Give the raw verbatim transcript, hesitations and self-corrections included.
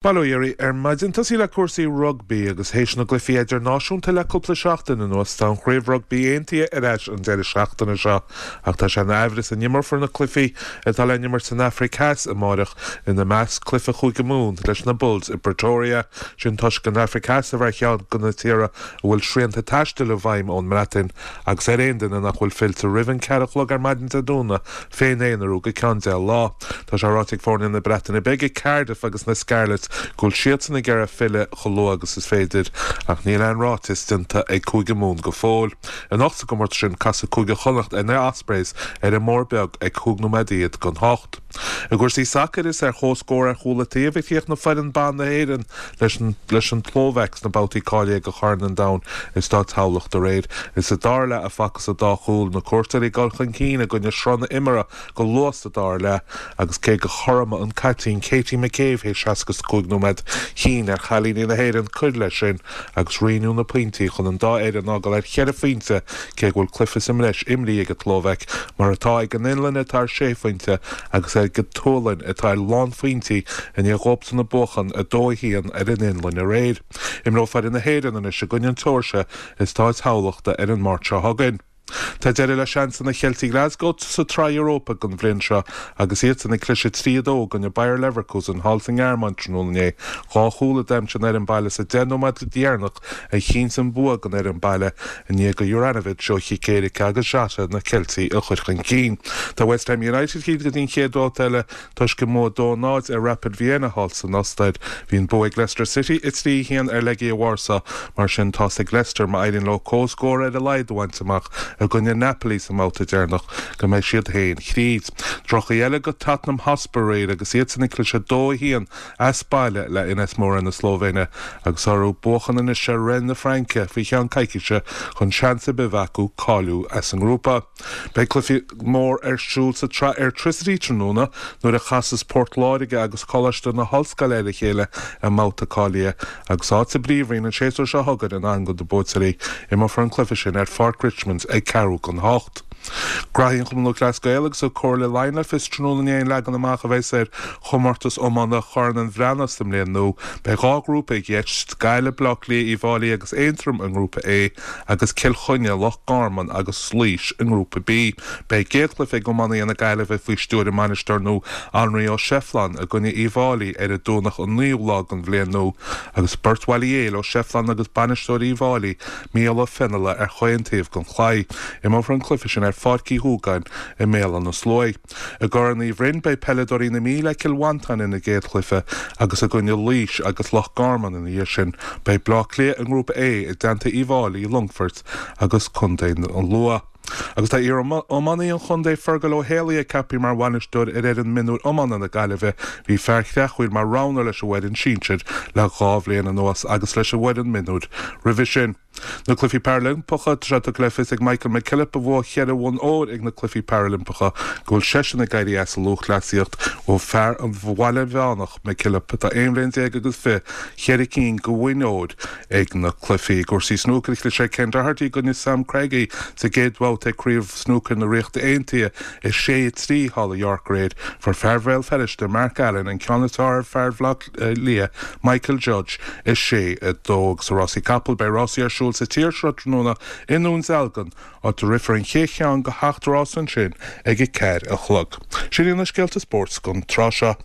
Bail ó Dhia oraibh ar maidin tosaí le cúrsaí rugbaí agus théis na gcluichí idirnáisiúnta le cúpla seachtain anuas tá an chraobh rugbaí aontaithe ar ais an deireadh seachtaine seo ach tá sé ina aimhreas an n-imreofar na cluichí atá le n-imirt san Afraic Theas amárach ina measc cluiche Chúige Mumhan leis na Bulls i Pretoria sin toisc an Afraic Theas a bheith ar cheann de na tíortha a bhfuil srianta taistil i bhfeidhm ón mBreatain agus ar aon duine nach bhfuil fillte roimh an ceathair a chlog ar maidin Dé Domhnaigh féin-aonarú go ceann deich lá. Tá sé ráite ag foirne na Breataine Bige Cardiff agus na Scarlets go bhfuil siadsan ag iarraidh filleadh chomh luath agus is féidir ach níl aon ráiteas déanta ag Cúige Mumhan go fóill. Anocht sa gcomórtas sin casfaidh Cúige Chonnacht ar na Ospreys ar an mBóthar Beag ag cúig nóiméad don hocht. I gcúrsaí sacair is ar chomhscór ar chúl an taobh a chríochnaigh foireann ban na hÉireann leis an leis an tSlóvaic sna babhtaí cáilithe do Chorn an Domhain i Stáit Thamhlachta aréir. Is sa dara leath a facthas an dá chúl na cuairteoirí ag dul chun cinn i gcoinne sruth na himeartha go luath sa dara leath agus cé gur chothromaigh an caiptín Katie McCabe théis seasca cúig nóiméad chinn ar chailíní na hÉireann cur leis sin agus roinneadh na pointí chun an dá fhoireann a fhágáil ar cheithre phointe cé go bhfuil cluiche sa mbreis imrithe ag an tSlóvaic mar atá ag an Fhionlainn atá ar sé phointe agus ag an tSualainn atá ar lánphointí i ndiaidh dóibhsan buachan a dó a haon ar an Fhionlainn aréir. Imreoidh foireann na hÉireann anois i gcoinne na Seoirsia i Stáit Thamhlachta ar an Máirt seo chugainn. Tá deireadh le seansanna Cheiltigh Glasgow sa tsraith Europa don bhliain seo agus iadsan ag cliseadh trí a dó i gcoinne Bayer Leverkusen thall sa nGearmáin tráthnóna inné. Dhá chúl a d'aimsigh an fhoireann baile sa deich nóiméad deireanach a chinntigh an bua don fhoireann baile i ndiaidh do Juranovic ó chic éirice agus Jota na Ceiltigh a chur chun cinn. Tá West Ham United tríd go dtí an chéad bhabhta eile toisc a mbua dó náid ar Rapid Vienna thall san Ostair. Bhí an bua ag Leicester City a trí haon ar Legia Warsaw mar sin tá's ag Leicester má éiríonn leo comhscór ar a laghad a bhaint amach i gcoinne Napoli sa mbabhta deireanach go mbeidh siad féin thríd. Droch-chaoi eile do Tottenham Hotspur aréir agus iadsan ag cliseadh dó a haon as baile le NS Mura na Slóivéine agus orthu buachan anois ar Rennes na Fraince faoi cheann coicíse chun seans ar bith a bheith acu cáiliú as an ngrúpa. Beidh cluiche mór ar siúl sa tsraith Airtricity tráthnóna nuair a chasas Port Láirge agus Coláiste na hOllscoile ar a chéile i mbabhta cáilithe agus áit sa bPríomhroinn an séasúr seo chugainn in ann do na buaiteoirí. Imreofar an cluiche sin ar Pháirc Richmond ag ceathrú don hocht. Gnóthaí an Chumann Lúthchleas Gael agus an Comhairle Laighean le fios tráthnóna inné an leagan amach a bheas ar chomórtas iomána Chorn an Bhreathnaigh sa mbliain nua. Beidh dhá ghrúpa i gceist, Gaillimh, Bleá Cliath, Uíbh Fhailí agus Aontroim i ngrúpa A agus Cill Chainnigh, Loch Garman agus Laois i ngrúpa B. Beidh an chéad chluiche ag iománaithe na Gaillimhe faoi stiúir a mbainisteoir nua Anraí Ó Seifleáin i gcoinne Uíbh Fhailí ar an Domhnach an naoú lá den bhliain nua agus beirt Bhaile Héil Ó Seifleáin agus bainisteoir Uíbh Fhailí Mícheál Ó Feinneadha ar chaon taobh den chlaí. Imreofar an cluiche sin ar Pháirc Uí Dhúgáin i mBéal Átha na Sluaighe. I gCorn Uí Bhroin beidh peileadóirí na Mí le Cill Mhantáin ina gcéad chluiche agus i gcoinne Laois agus Loch Garman ina dhiaidh sin. Beidh Bleá Cliath i ngrúpa A i dteannta Uíbh Fhailí, Longfoirt agus Contae an Lú. Agus tá iar-iománaí an chontae Fergal Ó Héalaí ceaptha mar bhainisteoir ar fhoireann mionúir iomána na Gaillimhe, bhí fear Chreachmhaoil mar roghnóir leis an bhfoireann sinsir le dhá bhliain anuas agus leis an bhfoireann mionúir roimhe sin. Na Cluichí Parailimpeacha tá sé tugtha le fios ag Michael McKillop a bhuaigh ceithre bhonn óir ag na Cluichí Parailimpeacha go bhfuil seisean ag éirí as an lúthchleasaíocht ó fear an Bhaile Mheánach McKillop atá aon bhliain déag agus fiche ceithre cinn de bhoinn óir ag na cluichí. I gcúrsaí snúcair chlis ar Ken Doherty i gcoinne Sam Craigie sa gcéad bhabhta ag Craobh Snúcair na Ríochta Aontaithe i sé trí thall i York aréir fuair fear Bhéal Feirste Mark Allen an ceann is fearr ar fear Bhaile Átha Cliath Michael Judge i sé a dó agus sa rásaí capall beidh rásaí ar siúl sa tír seo tráthnóna i nDún Dealgan áit a rithfear an chéad cheann de sheacht rás ansin ag a ceathair a chlog. Sin iad na scéalta spóirt don tráth seo.